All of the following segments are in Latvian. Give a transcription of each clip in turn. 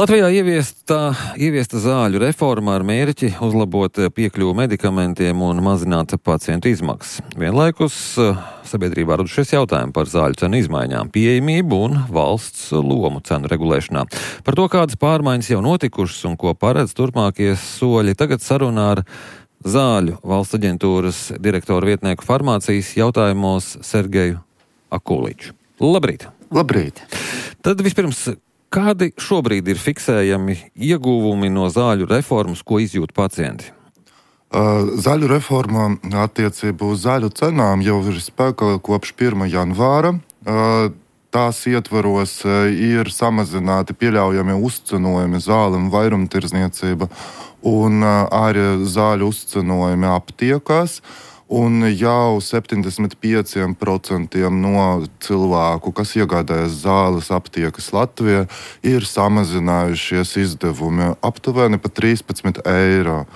Latvijā ieviesta zāļu reforma ar mērķi uzlabot piekļuvu medikamentiem un mazināt pacientu izmaksas. Vienlaikus sabiedrībā radušies jautājumi par zāļu cenu izmaiņām, pieejamību un valsts lomu cenu regulēšanā. Par to, kādas pārmaiņas jau notikušas un ko paredz turpmākie soļi, tagad sarunā ar Zāļu valsts aģentūras direktoru vietnieku farmācijas jautājumos Sergeju Akuliču. Labrīt! Labrīt! Tad vispirms, kādi šobrīd ir fiksējami ieguvumi no zāļu reformas, ko izjūt pacienti? Zaļu reforma attiecībā uz zaļu cenām jau ir spēkā kopš 1. janvāra. Tās ietvaros ir samazināti pieļaujami uzcenojumi zālēm vairumtirdzniecība un arī zāļu uzcenojumi aptiekās. Un jau 75% no cilvēku, kas iegādājas zāles aptiekas Latvijā, ir samazinājušies izdevumi aptuveni pa 13 eiro.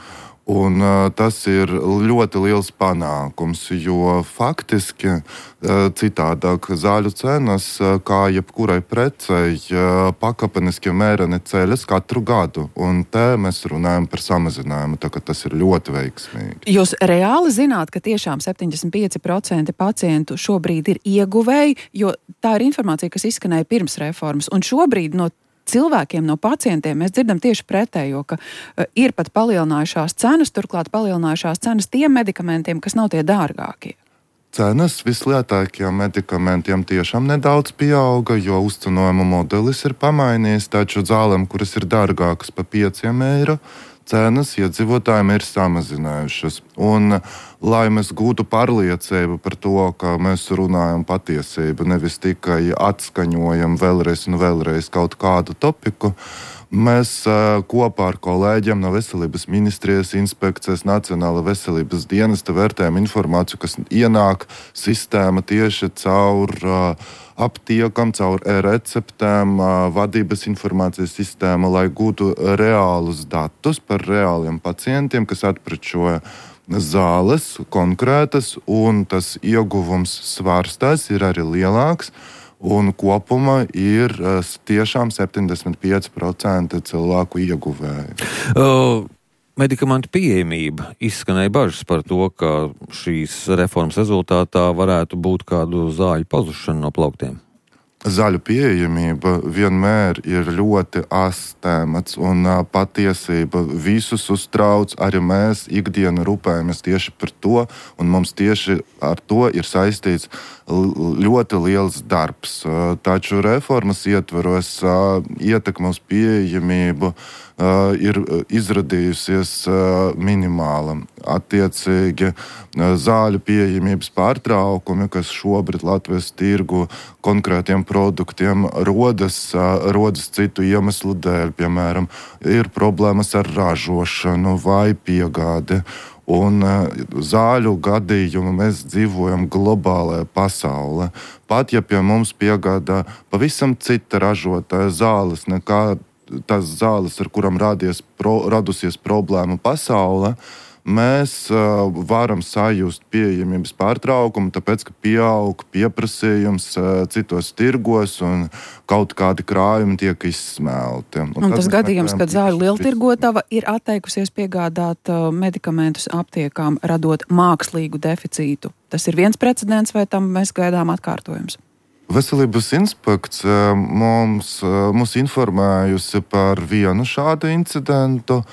Un tas ir ļoti liels panākums, jo faktiski citādāk zāļu cenas, kā jebkurai precei, pakāpeniski mēreni ceļas katru gadu. Un te mēs runājam par samazinājumu, tā ka tas ir ļoti veiksmīgi. Jūs reāli zināt, ka tiešām 75% pacientu šobrīd ir ieguvēji, jo tā ir informācija, kas izskanēja pirms reformas. Un šobrīd no cilvēkiem, no pacientiem mēs dzirdam tieši pretējo, ka ir pat palielinājušās cenas, turklāt palielinājušās cenas tiem medikamentiem, kas nav tie dārgākie. Cenas vislētākajiem medikamentiem tiešām nedaudz pieauga, jo uzcenojuma modelis ir pamainījies, taču zālēm, kuras ir dārgākas pa 5 eiro, cenas iedzīvotājiem ir samazinājušas. Un, lai mēs gūtu pārliecību par to, ka mēs runājam patiesību, nevis tikai atskaņojam vēlreiz un vēlreiz kaut kādu topiku, mēs kopā ar kolēģiem no Veselības ministrijas inspekcijas Nacionāla veselības dienesta vērtējam informāciju, kas ienāk sistēma tieši caur aptiekam, caur e-receptēm, vadības informācijas sistēmu, lai gūtu reālus datus par reāliem pacientiem, kas atprečoja zāles konkrētas, un tas ieguvums svārstās ir arī lielāks. Un kopumā ir tiešām 75% cilvēku ieguvēji. Medikamentu pieejamība. Izskanēja bažas par to, ka šīs reformas rezultātā varētu būt kādu zāļu pazušana no plauktiem. Zaļu pieejamība vienmēr ir ļoti astēmats un patiesība visus uztrauc. Arī mēs ikdienu rūpējamies tieši par to, un mums tieši ar to ir saistīts ļoti liels darbs. Taču reformas ietvaros ietekme uz pieejamību ir izradījusies minimāla. Attiecīgi zāļu pieejamības pārtraukumi, kas šobrīd Latvijas tirgu konkrētiem produktiem rodas citu iemeslu dēļ, piemēram, ir problēmas ar ražošanu vai piegādi. Un zāļu gadījumu mēs dzīvojam globālajā pasaulē. Pat ja pie mums piegādā pavisam cita ražotāja zāles nekā tās zāles, ar kurām radusies problēma pasaulē, mēs varam sajust pieejamības pārtraukumu, tāpēc, ka pieaug pieprasījums citos tirgos un kaut kādi krājumi tiek izsmelti. Un tas gadījums, kad zāļu lieltirgotava ir atteikusies piegādāt medikamentus aptiekām, radot mākslīgu deficītu. Tas ir viens precedents, vai tam mēs gaidām atkārtojums? Veselības inspekcija mums informējusi par vienu šādu incidentu.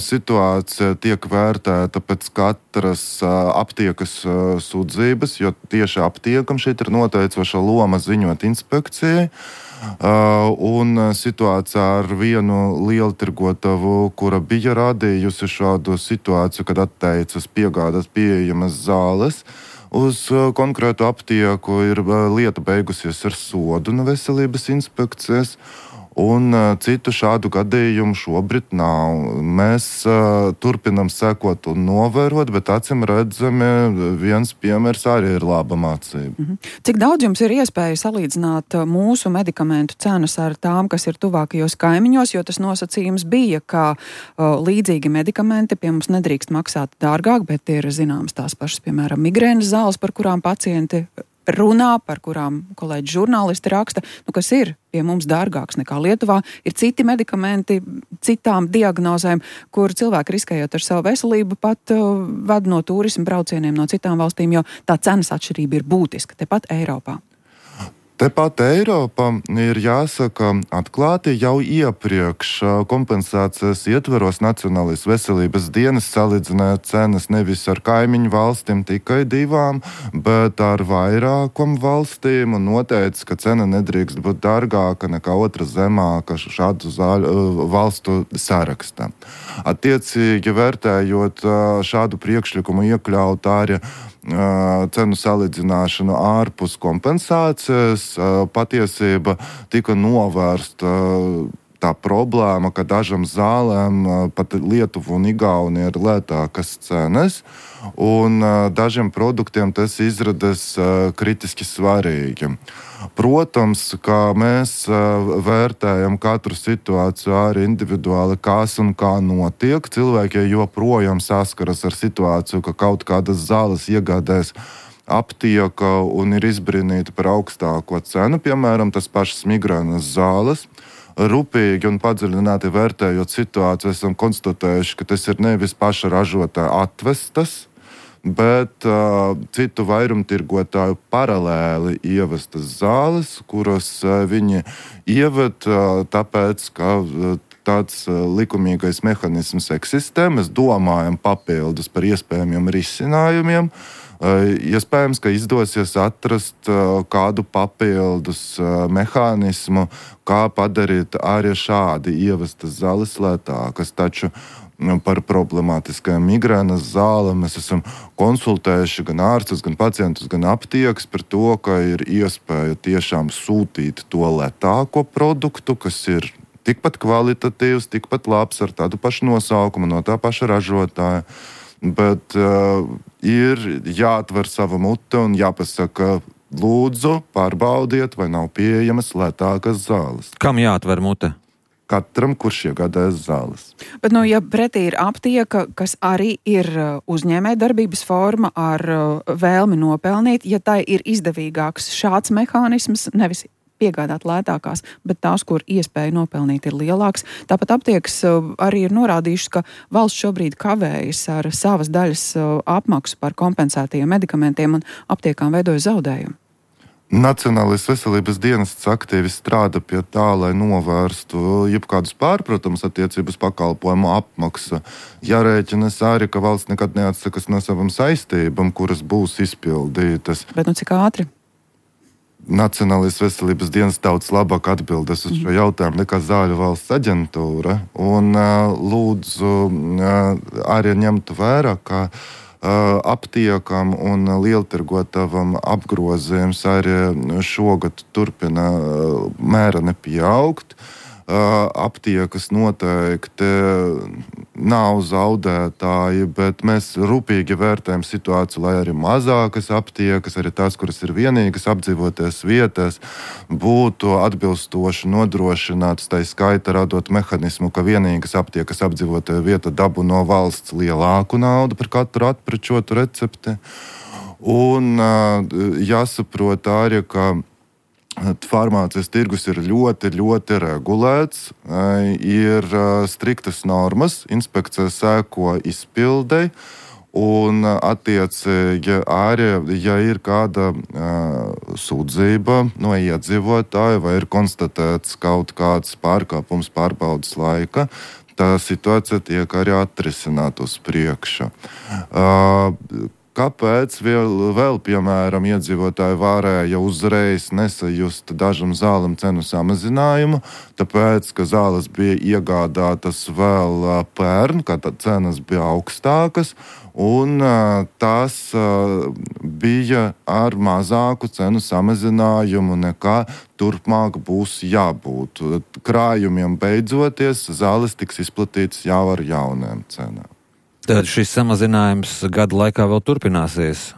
Situācija tiek vērtēta pēc katras aptiekas sūdzības, jo tieši aptiekam šeit ir noteicoša loma ziņot inspekcijai. Un situācija ar vienu lieltirgotavu, kura bija radījusi šādu situāciju, kad atteicas piegādāt pieejamas zāles uz konkrētu aptieku, ir lieta beigusies ar sodu no Veselības inspekcijas. Un citu šādu gadījumu šobrīd nav. Mēs turpinam sekot un novērot, bet acīm redzami viens piemērs arī ir laba mācība. Cik daudz jums ir iespēja salīdzināt mūsu medikamentu cenas ar tām, kas ir tuvākajos kaimiņos, jo tas nosacījums bija, ka līdzīgi medikamenti pie mums nedrīkst maksāt dārgāk, bet ir zināmas tās pašas, piemēram, migrēnas zāles, par kurām pacienti runā, par kurām kolēģi žurnālisti raksta, kas ir pie mums dārgāks nekā Lietuvā. Ir citi medikamenti, citām diagnozēm, kur cilvēki riskējot ar savu veselību pat ved no turismu braucieniem no citām valstīm, jo tā cenas atšķirība ir būtiska tepat Eiropā. Tepat Eiropa ir jāsaka atklāti jau iepriekš kompensācijas ietveros Nacionālais veselības dienas salīdzināja cenas nevis ar kaimiņu valstīm tikai 2, bet ar vairākam valstīm un noteica, ka cena nedrīkst būt dārgāka nekā otra zemāka šādu valstu sarakstā. Attiecīgi vērtējot šādu priekšlikumu iekļaut arī cenu salīdzināšanu ārpus kompensācijas, patiesība tika novērsta tā problēma, ka dažam zālēm, pat Lietuva un Igaunija, ir lētākas cenas, un dažiem produktiem tas izrādās kritiski svarīgi. Protams, ka mēs vērtējam katru situāciju arī individuāli, kas un kā notiek. Cilvēki joprojām saskaras ar situāciju, ka kaut kādas zāles iegādājas aptieka un ir izbrīnīti par augstāko cenu, piemēram, tas pašas migrēnas zāles. Rūpīgi un padziļināti vērtējot situāciju, esam konstatējuši, ka tas ir nevis paša ražotāja atvestas, bet citu vairumtirgotāju paralēli ievestas zāles, kuras viņi ieved tāpēc, ka tāds likumīgais mehanisms eksistē. Mēs domājam papildus par iespējamiem risinājumiem. Iespējams, ka izdosies atrast kādu papildus mehānismu, kā padarīt arī šādi ievestas zāles lētākas. Taču par problemātiskajām migrēnas zālēm mēs esam konsultējuši gan ārstus, gan pacientus, gan aptiekas par to, ka ir iespēja tiešām sūtīt to lētāko produktu, kas ir tikpat kvalitatīvs, tikpat labs ar tādu pašu nosaukumu no tā paša ražotāja. Bet ir jāatver sava mute un jāpasaka, lūdzu, pārbaudiet, vai nav pieejamas lētākas zāles. Kam jāatver mute? Katram, kurš iegādājas zāles. Bet, ja pretī ir aptieka, kas arī ir uzņēmējdarbības forma ar vēlmi nopelnīt, ja tai ir izdevīgāks šāds mehānisms, nevis piegādāt lētākās, bet tās, kur iespēja nopelnīt, ir lielāks. Tāpat aptiekas arī ir norādījušas, ka valsts šobrīd kavējas ar savas daļas apmaksu par kompensētajiem medikamentiem un aptiekām veidoja zaudējumu. Nacionālais veselības dienests aktīvi strādā pie tā, lai novērstu jebkādus pārpratumus attiecības pakalpojumu apmaksu. Jārēķinas arī, ka valsts nekad neatsakas no savām saistībām, kuras būs izpildītas. Bet cik ātri? Nacionālais veselības dienests daudz labāk atbildes uz šo jautājumu nekā Zāļu valsts aģentūra. Un lūdzu arī ņemtu vērā, ka aptiekam un lieltirgotavām apgrozījums arī šogad turpina mēreni pieaugt. Aptiekas noteikti nav zaudētāji, bet mēs rūpīgi vērtējam situāciju, lai arī mazākas aptiekas, arī tās, kuras ir vienīgas apdzīvoties vietās, būtu atbilstoši nodrošinātas, tā skaita radot mehanismu, ka vienīgas aptiekas apdzīvotajā vieta dabū no valsts lielāku naudu par katru atprečotu recepti. Un jāsaprot arī, ka farmācijas tirgus ir ļoti, ļoti regulēts, ir striktas normas, inspekcija sēko izpildei, un attiecīgi arī, ja ir kāda sūdzība no iedzīvotāja vai ir konstatēts kaut kāds pārkāpums pārbaudas laika, tā situācija tiek arī atrisināta uz priekšu. Kāpēc vēl, piemēram, iedzīvotāji varēja uzreiz nesajust dažam zālēm cenu samazinājumu, tāpēc, ka zāles bija iegādātas vēl pērn, kad cenas bija augstākas, un tas bija ar mazāku cenu samazinājumu nekā turpmāk būs jābūt. Krājumiem beidzoties, zāles tiks izplatītas jau ar jauniem cenām. Tad šis samazinājums gada laikā vēl turpināsies.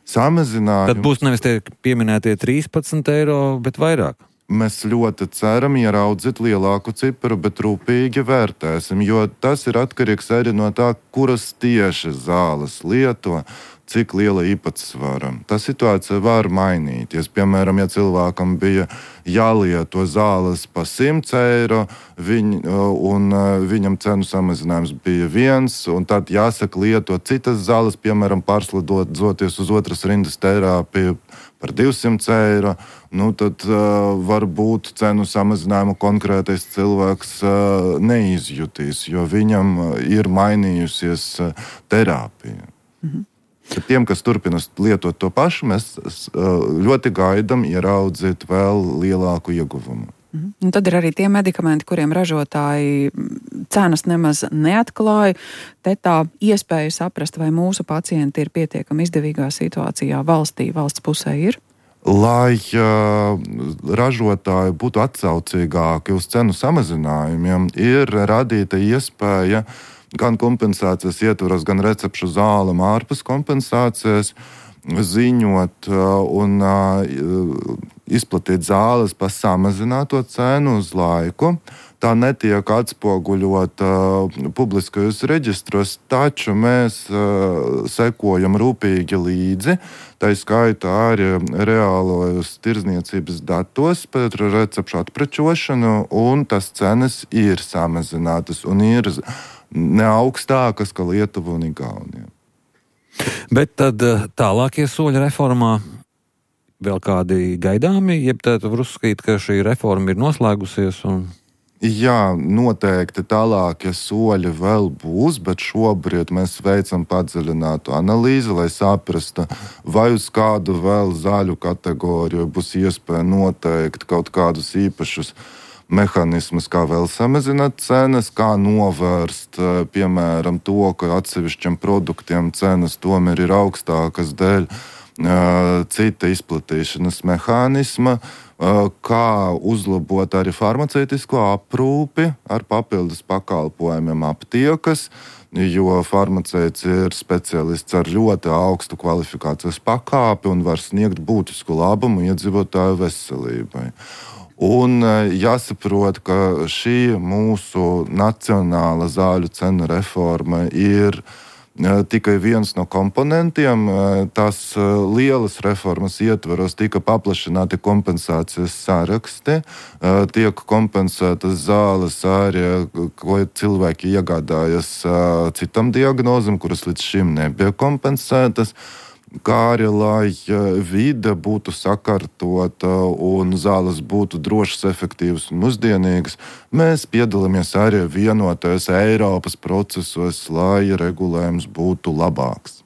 Tad būs nevis tie pieminētie 13 eiro, bet vairāk. Mēs ļoti ceram ieraudzīt lielāku ciparu, bet rūpīgi vērtēsim, jo tas ir atkarīgs arī no tā, kuras tieši zāles lieto. cik liela īpatsvara. Tā situācija var mainīties. Piemēram, ja cilvēkam bija jālieto zāles pa 100 eiro, un viņam cenu samazinājums bija 1, un tad jāsaka lietot citas zāles, piemēram, pārslidoties uz otras rindas terapiju par 200 eiro, tad varbūt cenu samazinājumu konkrētais cilvēks neizjutīs, jo viņam ir mainījusies terapija. Tiem, kas turpina lietot to pašu, mēs ļoti gaidām ieraudzīt vēl lielāku ieguvumu. Un tad ir arī tie medikamenti, kuriem ražotāji cenas nemaz neatklāja. Te tā iespēja saprast, vai mūsu pacienti ir pietiekami izdevīgā situācijā valsts pusē ir? Lai ražotāji būtu atsaucīgāki uz cenu samazinājumiem, ir radīta iespēja gan kompensācijas ietvaros, gan recepšu zālēm ārpus kompensācijas ziņot un izplatīt zāles par samazināto cenu uz laiku. Tā netiek atspoguļota publiskajos reģistros, taču mēs sekojam rūpīgi līdzi, tā skaitā arī reālajos tirdzniecības datos par recepšu atprečošanu, un tas cenas ir samazinātas un ir ne augstākas kā Lietuva un Igaunija. Bet tad tālākie soļi reformā vēl kādi gaidāmi, jeb tad var uzskatīt, ka šī reforma ir noslēgusies un... Jā, noteikti tālākie soļi vēl būs, bet šobrīd mēs veicam padziļinātu analīzi, lai saprastu, vai uz kādu vēl zāļu kategoriju būs iespēja noteikt kaut kādus īpašus mehānismus, kā vēl samazināt cenas, kā novērst, piemēram, to, ka atsevišķiem produktiem cenas tomēr ir augstākas dēļ cita izplatīšanas mehānisma, kā uzlabot arī farmaceitisko aprūpi ar papildus pakalpojumiem aptiekas, jo farmaceits ir speciālists ar ļoti augstu kvalifikācijas pakāpi un var sniegt būtisku labumu iedzīvotāju veselībai. Un jāsaprot, ka šī mūsu nacionāla zāļu cenu reforma ir tikai viens no komponentiem. Tās lielas reformas ietvaros tika paplašināti kompensācijas saraksti, tiek kompensētas zāles arī, ko cilvēki iegādājas citam diagnozam, kuras līdz šim nebija kompensētas, kā arī, lai vide būtu sakārtota un zāles būtu drošas, efektīvas un mūsdienīgas. Mēs piedalāmies arī vienotajos Eiropas procesos, lai regulējums būtu labāks.